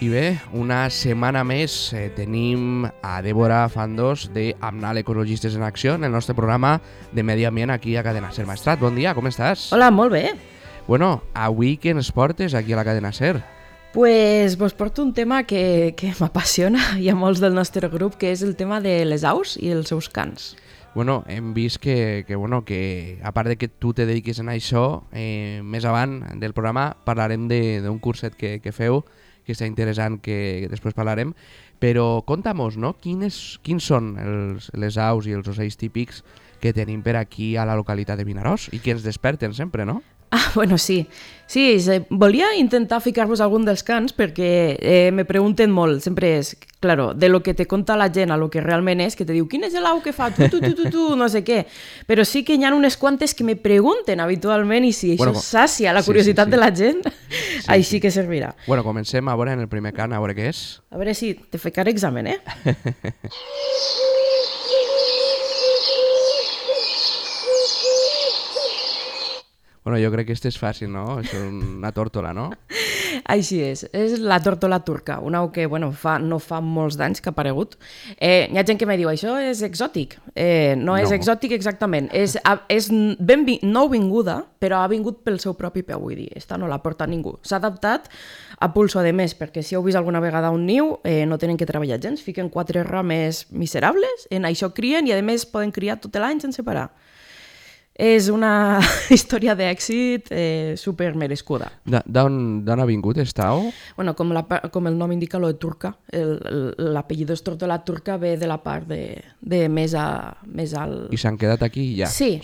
I bé, una setmana més tenim a Débora Fandos de Amnal Ecologistes en Acció en el nostre programa de Medi Ambient aquí a Cadena Ser. Maestrat, bon dia, com estàs? Hola, molt bé. Bueno, avui què ens portes aquí a la Cadena Ser? Pues vos porto un tema que m'apassiona i a molts del nostre grup, que és el tema de les aus i els seus cants. Bueno, hem vist que a part de que tu te dediquis a això, més avant del programa parlarem d'un curset que feu, que està interessant, que després parlarem, però conta-mos, no? Quins són les aus i els ocells típics que tenim per aquí a la localitat de Vinaròs i que ens desperten sempre, no? Ah, bueno, sí. Sí, volia intentar ficar-vos algun dels cants perquè me pregunten molt, sempre és, claro, de lo que te conta la gent a lo que realment és, que te diu, quin és l'au que fa tu, no sé què. Però sí que hi ha unes quantes que me pregunten habitualment i si això sàcia la curiositat de la gent, així que servirà. Bueno, comencem a veure en el primer cant, a veure què és. A veure si te ficaré examen, Bueno, jo crec que este és fàcil, no? És una tórtola, no? Així és la tórtola turca, una au que no fa molts d'anys que ha aparegut. Hi ha gent que me diu, això és exòtic. No és exòtic exactament, és nouvinguda, però ha vingut pel seu propi peu, vull dir, esta no la porta ningú. S'ha adaptat a pulso de més, perquè si heu vist alguna vegada un niu, no tenen que treballar gens, fiquen 4 rames miserables, en això crien i a més poden criar tot l'any sense parar. És una història d'èxit super merescuda. D'on ha vingut esta au? Bueno, com el nom indica, lo de turca. L'apellido és tórtola turca, ve de la part de més alt. I s'han quedat aquí ja? Sí,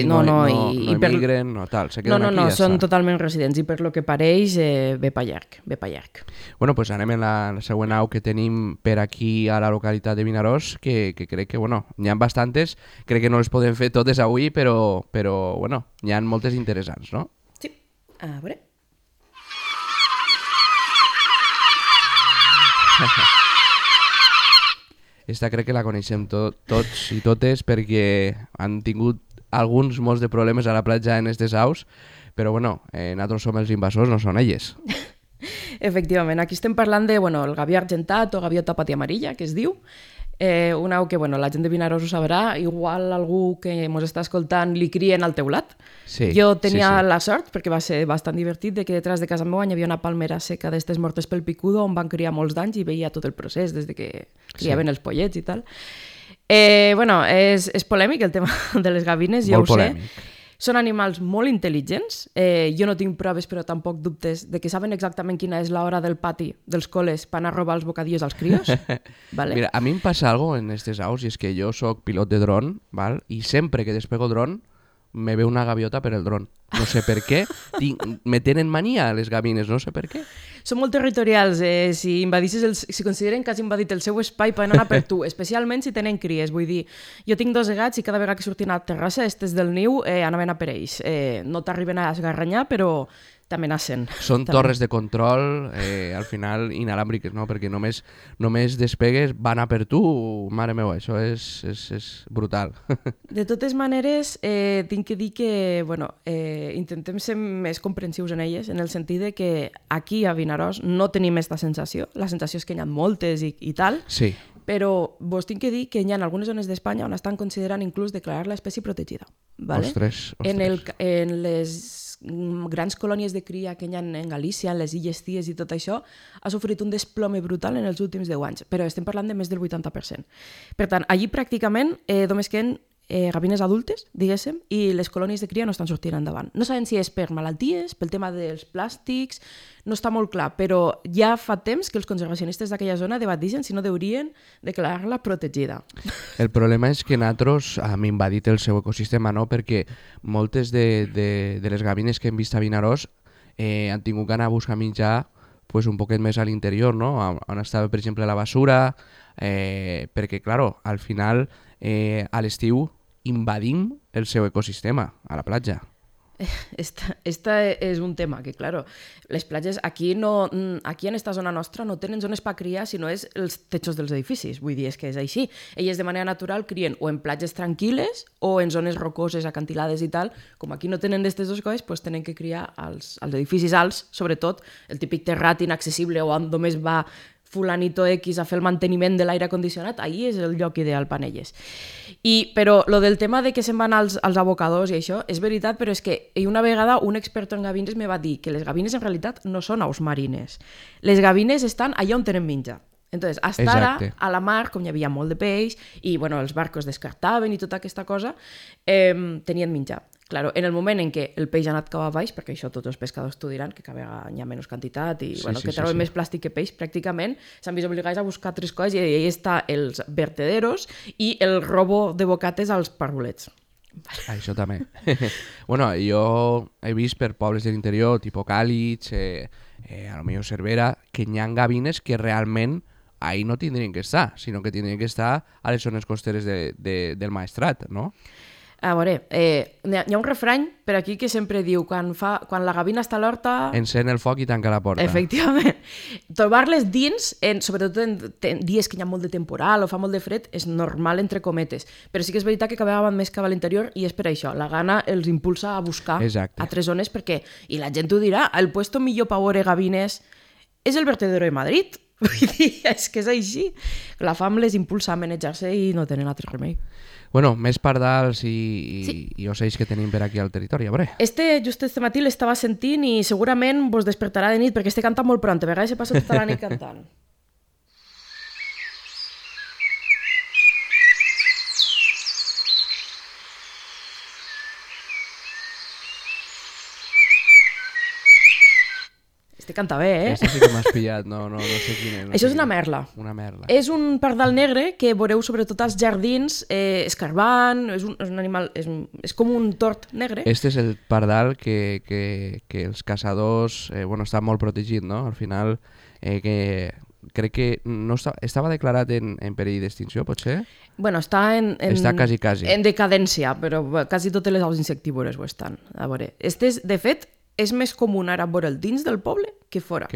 no emigren, no tal, se queden aquí i ja són està. totalment residents i per lo que pareix ve pa llarg. Bueno, pues anem en la següent au que tenim per aquí a la localitat de Vinaròs, que crec que, n'hi ha bastantes, crec que no les podem fer totes avui, però n'hi ha moltes interessants, no? Sí, a veure. Esta crec que la coneixem tots i totes perquè han tingut molts de problemes a la platja en aquestes aus, però nosaltres som els invasors, no són elles. Efectivament, aquí estem parlant de el gavió argentat o gaviota pati amarilla, que es diu, una au que la gent de Vinaròs ho sabrà, igual algú que ens està escoltant li crien al teulat. Sí, jo tenia la sort, perquè va ser bastant divertit, de que detrás de casa meva hi havia una palmera seca d'estes mortes pel picudo on van criar molts d'anys i veia tot el procés, des de que criaven els pollets i tal. És polèmic el tema de les gavines, jo ho sé. Són animals molt intel·ligents, jo no tinc proves però tampoc dubtes de que saben exactament quina és l'hora del pati dels col·les per anar a robar els bocadillos als crios. Vale? Mira, a mi em passa algo en aquestes aus i és que jo soc pilot de dron, val? I sempre que despego dron me ve una gaviota per el dron. No sé per què, me tenen mania les gavines, no sé per què. Són molt territorials, si consideren que has invadit el seu espai poden anar per tu, especialment si tenen cries, vull dir, jo tinc 2 gats i cada vegada que surtin a la terrassa, estes del niu anaven a per ells, no t'arriben a esgarranyar però t'amenacen. Són torres de control, al final inalàmbriques, no? Perquè només despegues, van a per tu, mare meva, això és brutal. De totes maneres, tinc que dir que, intentem ser més comprensius en elles, en el sentit de que aquí a Vinaròs no tenim aquesta sensació, la sensació és que hi ha moltes i tal, sí. Però vos tinc que dir que hi ha algunes zones d'Espanya on estan considerant inclús declarar la espècie protegida. Vale? Ostres. En les grans colònies de cria que hi ha en Galícia, en les Illes Cies i tot això, ha sofrit un desplome brutal en els últims 10 anys, però estem parlant de més del 80%. Per tant, allí pràcticament només queden gavines adultes, diguéssim, i les colònies de cria no estan sortint endavant. No sabem si és per malalties, pel tema dels plàstics, no està molt clar, però ja fa temps que els conservacionistes d'aquella zona debateixen si no deurien declarar-la protegida. El problema és que nosaltres hem invadit el seu ecosistema, no? Perquè moltes de les gavines que hem vist a Vinaròs han tingut que anar a buscar menjar un poquet més a l'interior, no? On estava, per exemple, la basura, perquè, clar, al final, a l'estiu invadim el seu ecosistema, a la platja. Esta és un tema que, claro, les platges aquí en esta zona nostra no tenen zones per criar, sinó és els techos dels edificis. Vull dir, és que és així. Elles de manera natural crien o en platges tranquil·les o en zones rocoses, acantilades i tal. Com aquí no tenen d'aquestes dues coses, doncs tenen que criar als edificis alts, sobretot el típic terrat inaccessible o on només va fulanito X a fer el manteniment de l'aire condicionat, ahí és el lloc ideal per elles. Però lo del tema de que se'n van als abocadors i això, és veritat, però és que una vegada un expert en gavines me va dir que les gavines en realitat no són aus marines. Les gavines estan allà on tenen menjar. Entonces, hasta ara, a la mar, com hi havia molt de peix, i bueno, els barcos descartaven i tota aquesta cosa, tenien menjar. Claro, en el moment en què el peix ha anat cap a baix, perquè això tots els pescadors t'ho diran, que cada vegada hi ha menys quantitat i que treuen més plàstic que peix, pràcticament s'han vist obligats a buscar tres coses i ahí està els vertederos i el robo de bocates als parvulets. Això també. Bueno, jo he vist per pobles de l'interior, tipus Càlig, a lo millor Cervera, que hi ha gavines que realment ahí no tindrien que estar, sinó que tindrien que estar a les zones costeres del Maestrat, no? A veure, hi ha un refrany per aquí que sempre diu quan la gavina està a l'horta... Encén el foc i tanca la porta. Efectivament. Trobar-les dins, sobretot en dies que hi ha molt de temporal o fa molt de fred, és normal entre cometes. Però sí que és veritat que cada vegada van més cap a l'interior i és per això. La gana els impulsa a buscar altres zones perquè, i la gent ho dirà, el puesto millor per veure gavines és el vertedero de Madrid. Vull dir, és que és així. La fam les impulsa a manejar-se i no tenen altre remei. Bueno, més pardals i ocells que tenim per aquí al territori, a veure. Just este matí l'estava sentint i segurament vos despertarà de nit perquè este canta molt pront, a vegades se passa tota la nit cantant. Este canta bé, eh? Este sí que m'has pillat, no sé quin és. Això és una merla. Una merla. És un pardal negre que veureu sobretot als jardins escarbant, és un animal, és com un tort negre. Este és el pardal que els caçadors, està molt protegit, no? Al final, que crec que no estava declarat en perill d'extinció, potser? Bueno, està quasi. En decadència, però quasi totes les aus insectívores ho estan. A veure, de fet, és més comú ara veure'l dins del poble que fora.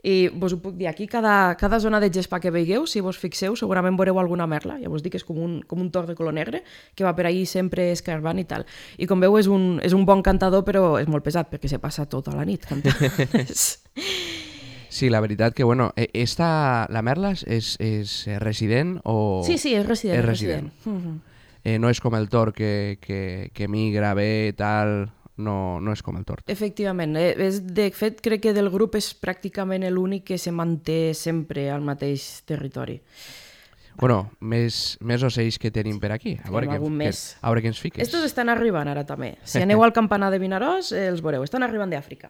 I vos ho puc dir, aquí cada zona de gespa que veieu, si vos fixeu, segurament veureu alguna merla. Ja vos dic que és com un tort de color negre que va per ahí sempre escarbant i tal. I com veu és un bon cantador, però és molt pesat perquè se passa tota la nit cantant. Sí, la veritat que, la merla és resident o... Sí, és resident. És resident. No és com el tort que migra bé, tal... No és com el tort. Efectivament. De fet, crec que del grup és pràcticament l'únic que se manté sempre al mateix territori. Bueno, més ocells que tenim per aquí. A veure què ens fiques. Estos estan arribant ara també. Si aneu al campanar de Vinaròs, els veureu. Estan arribant d'Àfrica.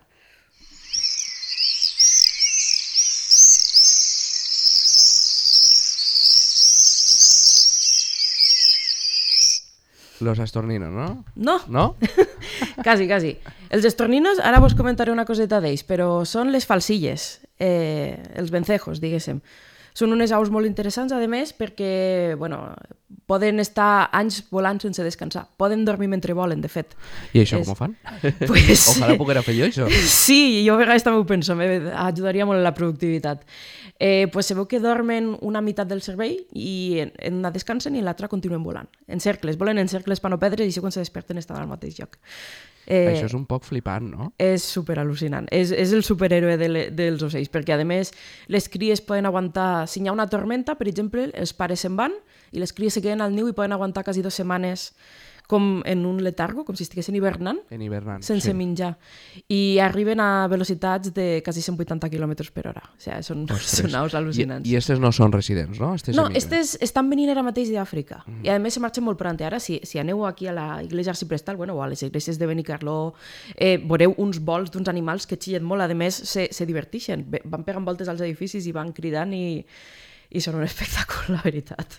Los estorninos, no? No? Quasi. Els estorninos, ara vos comentaré una coseta d'ells, però són les falsilles, els vencejos, diguéssim. Són unes aus molt interessants, a més, perquè poden estar anys volant sense descansar. Poden dormir mentre volen, de fet. I això com ho fan? Ojalà poguera fer jo, això. Sí, jo a vegades també ho penso, ajudaria molt la productivitat. Se veu que dormen una meitat del cervell i en una descansen i l'altra continuen volant. En cercles, volen en cercles per no perdre i quan se desperten estan al mateix lloc. Això és un poc flipant, no? És superal·lucinant. És el superhéroe dels ocells, perquè a més les cries poden aguantar, si hi ha una tormenta, per exemple, els pares se'n van i les cries se queden al niu i poden aguantar quasi 2 setmanes com en un letargo, com si estiguessin hivernant, sense menjar. I arriben a velocitats de quasi 180 km per hora. O sigui, són aus al·lucinants. I aquestes no són residents, no? No, aquestes estan venint ara mateix d'Àfrica. I a més se marxen molt pront. Ara, si aneu aquí a la Iglesia Arciprestal, o a les iglesias de Benicarló, veureu uns vols d'uns animals que xillen molt. A més, se diverteixen. Van pegant voltes als edificis i van cridant i són un espectacle, la veritat.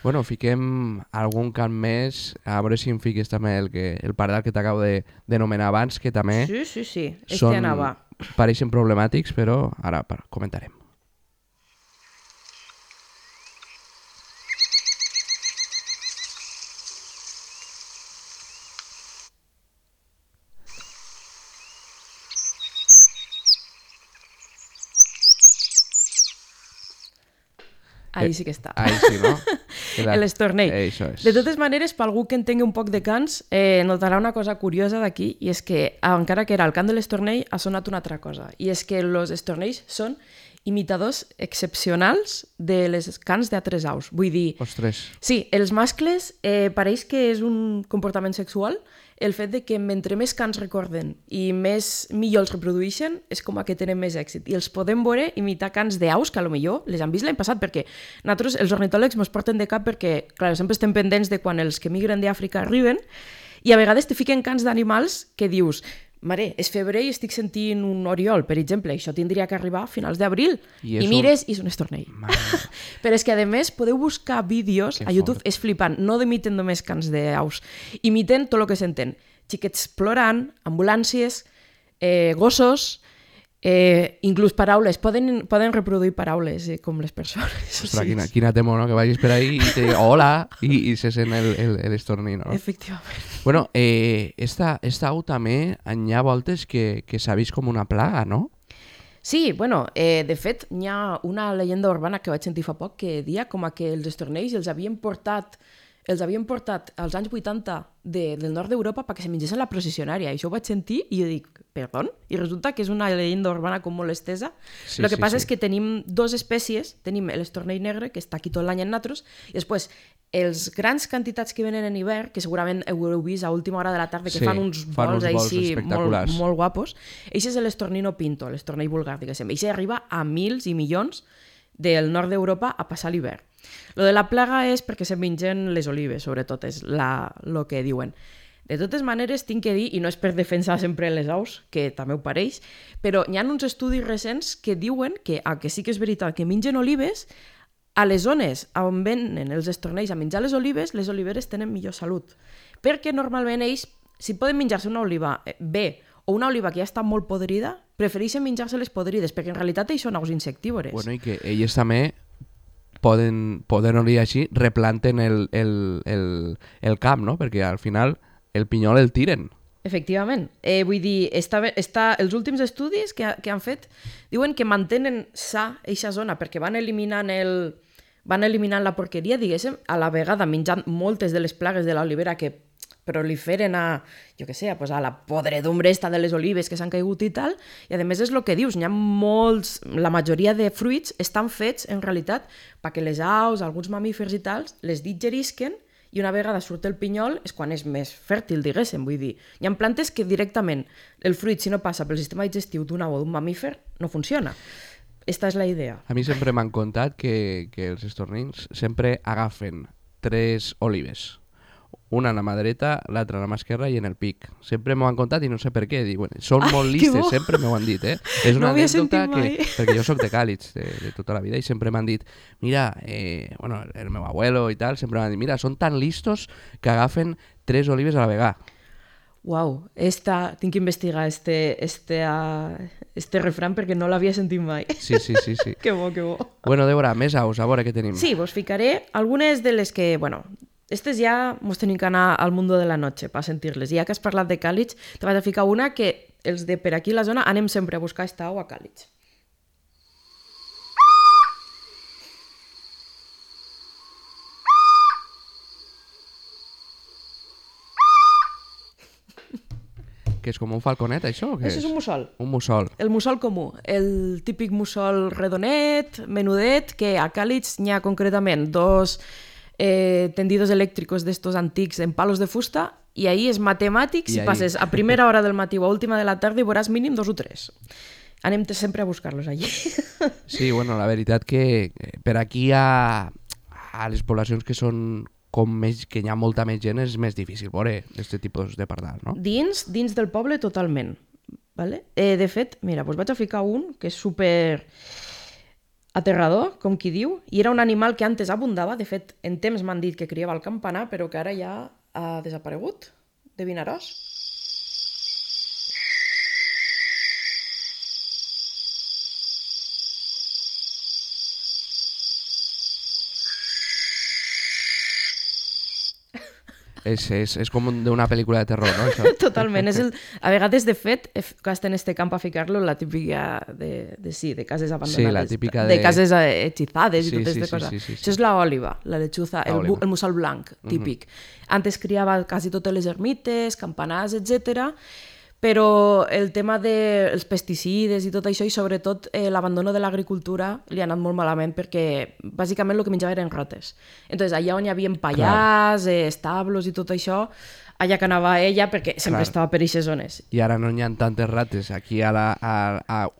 Bueno, fiquem algun cant més, a veure si em fiques també el pardal que t'acabo d'anomenar abans, que també sí. pareixen problemàtics, però ara comentarem. ahí sí que està. Ahí sí, no? L'estornell. Això és. De totes maneres, per algú que en tingui un poc de cants, notarà una cosa curiosa d'aquí, i és que, encara que era el cant de l'estornell, ha sonat una altra cosa, i és que els estornells són imitadors excepcionals de les cants d'altres aus. Vull dir... Ostres. Sí, els mascles pareix que és un comportament sexual el fet de que mentre més cants recorden i millor els reprodueixen és com a que tenen més èxit. I els podem veure imitar cants d'aus que potser les han vist l'any passat, perquè nosaltres, els ornitòlegs, ens porten de cap perquè, clar, sempre estem pendents de quan els que migren d'Àfrica arriben i a vegades te fiquen cants d'animals que dius mare, és febrer i estic sentint un oriol, per exemple, això tindria que arribar a finals d'abril. I mires i és un estornell. Però és que, a més, podeu buscar vídeos a YouTube, és flipant, no imiten només cants d'aus, imiten tot el que senten. Xiquets plorant, ambulàncies, gossos, inclús paraules, poden reproduir paraules com les persones. Ostres, quina temo, no? Que vagis per ahí i te diga hola i se sent l'estornell, no? Efectivament. Bueno, esta au també hi ha voltes que s'ha vist com una plaga, no? Sí, bueno, de fet, hi ha una llegenda urbana que vaig sentir fa poc que dia com a que els estornells els havien portat als anys 80 del nord d'Europa perquè se mengessin la processionària. I això ho vaig sentir i jo dic, perdó? I resulta que és una llegenda urbana com molt estesa. El que passa és que tenim dues espècies. Tenim l'estornell negre, que està aquí tot l'any en natros, i després els grans quantitats que venen en hivern, que segurament heu vist a última hora de la tarda, que fan uns vols així molt guapos, això és l'estornino pinto, l'estornell vulgar, diguéssim. Això arriba a mils i milions del nord d'Europa a passar l'hivern. Lo de la plaga és perquè se mengen les olives, sobretot, és el que diuen. De totes maneres, tinc que dir, i no és per defensar sempre les aus, que també ho pareix, però hi ha uns estudis recents que diuen que sí que és veritat que mengen olives, a les zones on venen els estornells a menjar les oliveres tenen millor salut. Perquè normalment ells, si poden menjar-se una oliva bé o una oliva que ja està molt podrida, prefereixen menjar-se les podrides, perquè en realitat ells són aus insectívores. Bueno, i que ells també poden dir així, replanten el camp, no? Perquè al final el pinyol el tiren. Efectivament. Vull dir, els últims estudis que han fet diuen que mantenen sa eixa zona perquè van eliminant la porqueria, diguéssim, a la vegada menjant moltes de les plagues de l'olivera que proliferen a la podredumbre esta de les olives que s'han caigut i tal, i a més és el que dius, n'hi ha molts, la majoria de fruits estan fets en realitat perquè les aus, alguns mamífers i tals, les digerisquen i una vegada surt el pinyol és quan és més fèrtil, diguéssim, vull dir. Hi ha plantes que directament el fruit, si no passa pel sistema digestiu d'un au o d'un mamífer, no funciona. Esta és la idea. A mi sempre m'han contat que els estornins sempre agafen 3 olives. Una a la mà dreta, l'altra a la mà esquerra i en el pic. Sempre m'ho han contat i no sé per què. Diuen, són molt listes, sempre m'ho han dit. És una anècdota perquè jo soc de Càlig de tota la vida i sempre m'han dit, mira, el meu abuelo i tal, sempre m'han dit, mira, són tan listos que agafen 3 olives a la vegada. Uau, tinc que investigar este refrán perquè no l'havia sentit mai. Sí. Que bo, que bo. Bueno, Débora, més aus, a veure què tenim. Sí, vos ficaré algunes de les que, estes ja mos tenim que anar al mundo de la noche per sentir-les. Ja que has parlat de Càlig, te vaig a ficar una que els de per aquí a la zona anem sempre a buscar esta au a Càlig. Que és com un falconet, això? O què Això és un mussol. Un mussol. El mussol comú, el típic mussol redonet, menudet, que a Càlig n'hi ha concretament 2 tendidos elèctricos d'estos antics en palos de fusta i ahí és matemàtic, si passes a primera hora del matí o a última de la tarda hi veuràs mínim 2 o 3. Anem sempre a buscar-los allí. Sí, bueno, la veritat que per aquí a les poblacions que són que hi ha molta més gent és més difícil veure aquest tipus de pardal, no? Dins del poble totalment. Vale? De fet, mira, doncs vaig a ficar un que és super aterrador, com qui diu, i era un animal que antes abundava, de fet, en temps m'han dit que criava al campanar, però que ara ja ha desaparegut de Vinaròs. És com d'una pel·lícula de terror, no? Això? Totalment. A vegades, de fet, gasten este camp a ficar-lo la típica de cases abandonades. Sí, la típica de cases hechizades i Sí, totes sí, de sí, coses. sí, sí. Això és la òliva, la lechuza, La òliva. el mussol blanc, típic. Antes criava quasi totes les ermites, campanars, etc. Però el tema dels pesticides i tot això, i sobretot l'abandono de l'agricultura, li ha anat molt malament perquè bàsicament el que menjava eren rates. Entonces, allà on hi havia pallars, establos i tot això, allà que anava ella perquè sempre estava per aquestes zones. I ara no hi ha tantes rates. Aquí a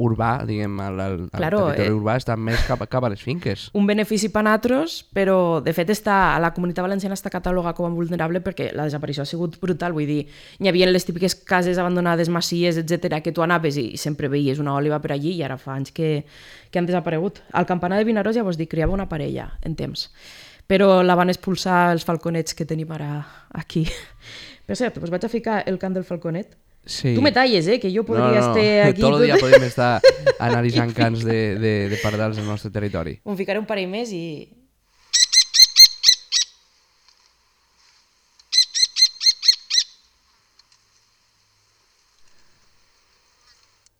urbà, diguem, al territori urbà, estan més cap a les finques. Un benefici per nosaltres, però de fet la comunitat valenciana està catalogada com a vulnerable perquè la desaparició ha sigut brutal. Vull dir, hi havia les típiques cases abandonades, masies, etc, que tu anaves i sempre veies una òliva per allí, i ara fa anys que han desaparegut. Al campanar de Vinaròs, ja vos dic, criava una parella en temps, però la van expulsar els falconets que tenim ara aquí. Per cert, us vaig a ficar el cant del falconet. Sí. Tu me talles, que jo podria estar aquí... Tot el dia podem estar analitzant cants de pardals del nostre territori. Em ficaré un parell més i...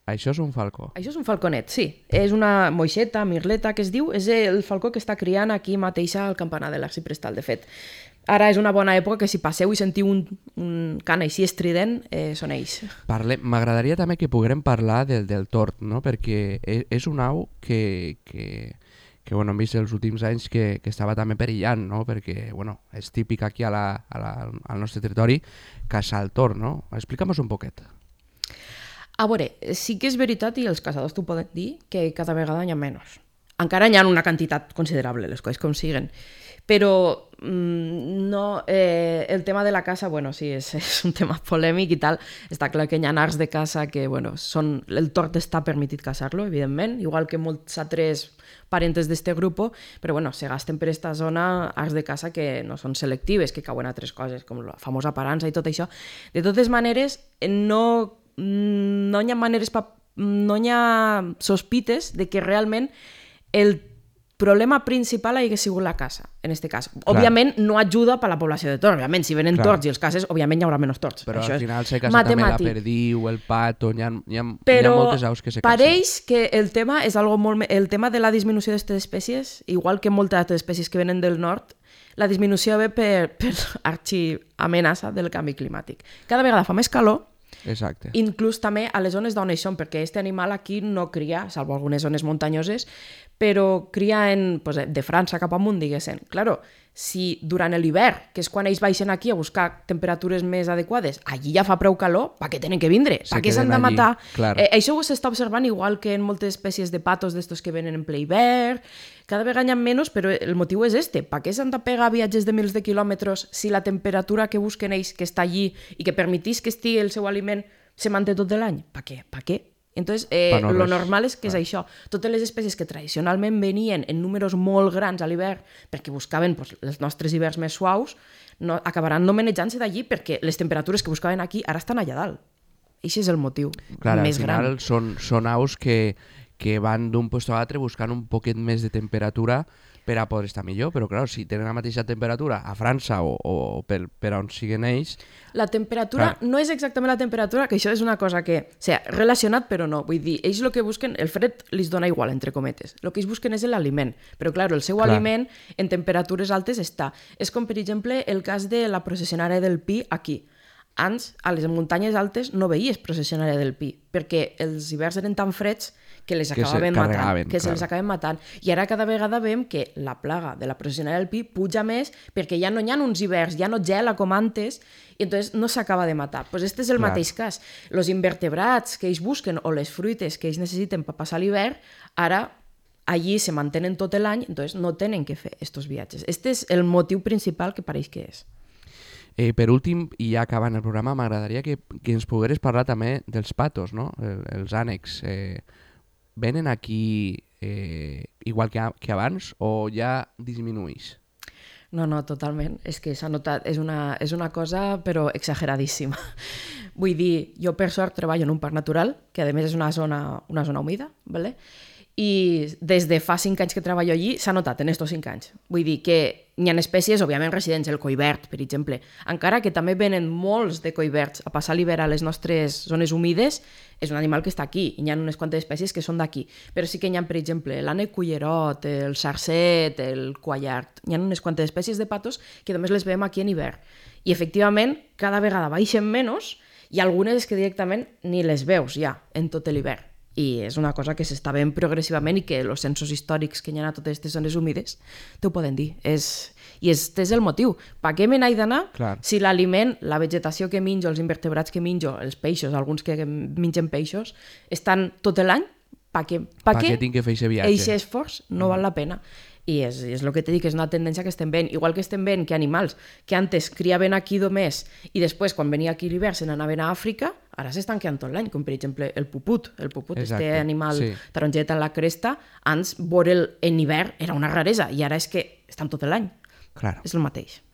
Això és un falcó. Això és un falconet, sí. És una moixeta, mirleta, que es diu. És el falcó que està criant aquí mateix al campanar de l'Arxiprestal, de fet. Ara és una bona època que si passeu i sentiu un cant així estrident, són ells. M'agradaria també que poguérem parlar del tord, no? Perquè és un au que bueno, hem vist els últims anys que estava també perillant, no? Perquè bueno, és típic aquí al nostre territori caçar el tord, no? Explica'm-nos un poquet. A veure, sí que és veritat, i els caçadors t'ho poden dir, que cada vegada n'hi ha menys. Encara n'hi ha una quantitat considerable, les coses com siguen. Però no, el tema de la caça, bueno, sí, és un tema polèmic i tal. Està clar que hi ha arts de caça que, bueno, el tord està permitit caçar-lo, evidentment, igual que molts altres parentes d'este grup, però bueno, se gasten per esta zona arts de caça que no són selectives, que cauen a altres coses, com la famosa parança i tot això. De totes maneres, no hi ha maneres, no hi ha sospites de que realment el problema principal hagi sigut la caça, en aquest cas. Clar. Òbviament no ajuda per la població de tords, òbviament, si venen tords i els caces, òbviament hi haurà menys tords. Però això al final se caça també la perdiu, el pato, hi ha moltes aus que se casen. Però pareix que el tema és algo molt... El tema de la disminució d'aquestes espècies, igual que moltes altres espècies que venen del nord, la disminució ve per arxiamenaça del canvi climàtic. Cada vegada fa més calor. Exacte. Inclús també a les zones d'on són, perquè aquest animal aquí no cria, salvo algunes zones muntanyoses, però cria de França cap amunt, diguéssim. Claro, si durant l'hivern, que és quan ells baixen aquí a buscar temperatures més adequades, allí ja fa prou calor, per què tenen que vindre? Per què s'han de matar? Això ho s'està observant igual que en moltes espècies de patos d'estos que venen en ple hivern. Cada vegada hi ha menys, però el motiu és este. Per què s'han de pegar viatges de milers de quilòmetres si la temperatura que busquen ells, que està allí i que permetís que estigui el seu aliment, se manté tot l'any? Per què? Per què? Entonces, lo normal és que és això. Totes les espècies que tradicionalment venien en números molt grans a l'hivern perquè buscaven els nostres hiverns més suaus, acabaran no manejant-se d'allí perquè les temperatures que buscaven aquí ara estan allà dalt. Això és el motiu més gran. Al final són aus que van d'un lloc a l'altre buscant un poquet més de temperatura per a poder estar millor, però clar, si tenen la mateixa temperatura a França o per on siguen ells... La temperatura no és exactament la temperatura, que això és una cosa que... O sigui, relacionat però no, vull dir, ells el que busquen, el fred els dona igual, entre cometes, el que ells busquen és l'aliment, però clar, el seu aliment en temperatures altes està. És com, per exemple, el cas de la processionària del pi aquí. Abans, a les muntanyes altes no veies processionària del pi, perquè els hiverns eren tan freds que les acabaven matant, que se les acaben matant. I ara cada vegada veiem que la plaga de la processionària del pi puja més perquè ja no hi ha uns hiverns, ja no gela com antes, i entonces no s'acaba de matar. Pues este és el mateix cas. Els invertebrats que ells busquen o les fruites que ells necessiten per passar l'hivern, ara allí se mantenen tot l'any, entonces no tenen que fer aquests viatges. Este és el motiu principal que pareix que és. Per últim, i ja acabant el programa, m'agradaria que ens pogueres parlar també dels patos, no? Els ànecs. Venen aquí igual que abans o ja disminuïx? No, totalment. És que s'ha notat, és una cosa però exageradíssima. Vull dir, jo per sort treballo en un parc natural, que a més és una zona humida, ¿vale? i des de fa 5 anys que treballo allí s'ha notat en estos 5 anys. Vull dir que hi ha espècies, òbviament residents, el coivert, per exemple, encara que també venen molts de coiverts a passar l'hivern a les nostres zones humides, és un animal que està aquí, i hi ha unes quantes espècies que són d'aquí, però sí que hi ha, per exemple, l'ànec cullerot, el sarcet, el quallart, hi ha unes quantes espècies de patos que només les veiem aquí en hivern. I efectivament, cada vegada baixen menys, i algunes que directament ni les veus ja en tot l'hivern. I és una cosa que s'està veient progressivament i que els censos històrics que hi ha a totes aquestes zones humides t'ho poden dir. I aquest és el motiu. Per què me n'he d'anar si l'aliment, la vegetació que menjo, els invertebrats que menjo, els peixos, alguns que mengen peixos, estan tot l'any? Per què tinc que fer aquest viatge? Aquest esforç no val la pena. I és el que t'he dit, que és una tendència que estem veient. Igual que estem veient que animals que antes criaven aquí només i després, quan venia aquí l'hivern, se n'anaven a Àfrica, ara s'estan quedant tot l'any, com per exemple el puput. El puput, este animal taronget en la cresta, abans veure'l en hivern era una raresa, i ara és que estan tot l'any. És el mateix.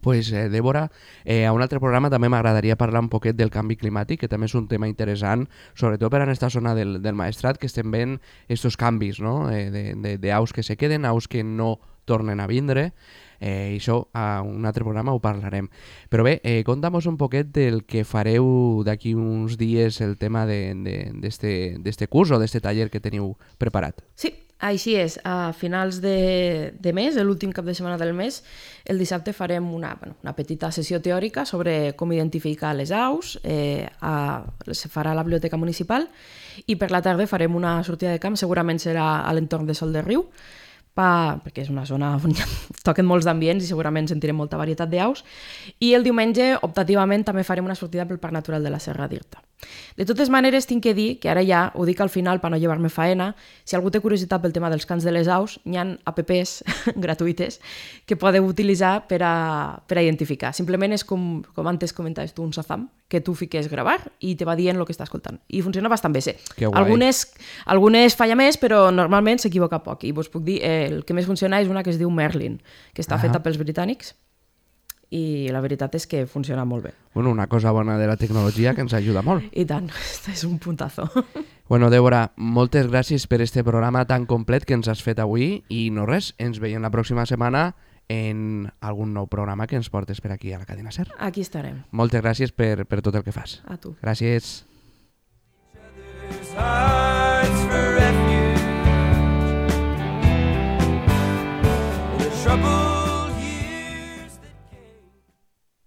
Pues, Débora, a un altre programa també m'agradaria parlar un poquet del canvi climàtic, que també és un tema interessant, sobretot per en aquesta zona del Maestrat, que estem veient aquests canvis, no? D'aus que se queden, aus que no tornen a vindre, i això a un altre programa ho parlarem. Però bé, conta'm un poquet del que fareu d'aquí uns dies, el tema d'este curs o d'este taller que teniu preparat. Sí, així és. A finals de mes, l'últim cap de setmana del mes, el dissabte farem una petita sessió teòrica sobre com identificar les aus, se farà a la biblioteca municipal, i per la tarda farem una sortida de camp, segurament serà a l'entorn de Sol de Riu, perquè és una zona on toquen molts d'ambients i segurament sentirem molta varietat d'aus, i el diumenge, optativament, també farem una sortida pel Parc Natural de la Serra d'Irta. De totes maneres, tinc que dir, que ara ja ho dic al final per no llevar-me faena, si algú té curiositat pel tema dels cants de les aus, hi ha apps gratuïtes que podeu utilitzar per a identificar. Simplement és com antes comentaves tu, un Shazam, que tu fiques gravar i te va dient el que està escoltant. I funciona bastant bé, sí. Algunes falla més, però normalment s'equivoca poc. I vos puc dir, el que més funciona és una que es diu Merlin, que està feta pels britànics, i la veritat és que funciona molt bé. Bueno, una cosa bona de la tecnologia que ens ajuda molt. I tant, és un puntazo. Bueno, Débora, moltes gràcies per este programa tan complet que ens has fet avui, i no res, ens veiem la pròxima setmana en algun nou programa que ens portes per aquí a la cadena SER. Aquí estarem. Moltes gràcies per tot el que fas. A tu. Gràcies.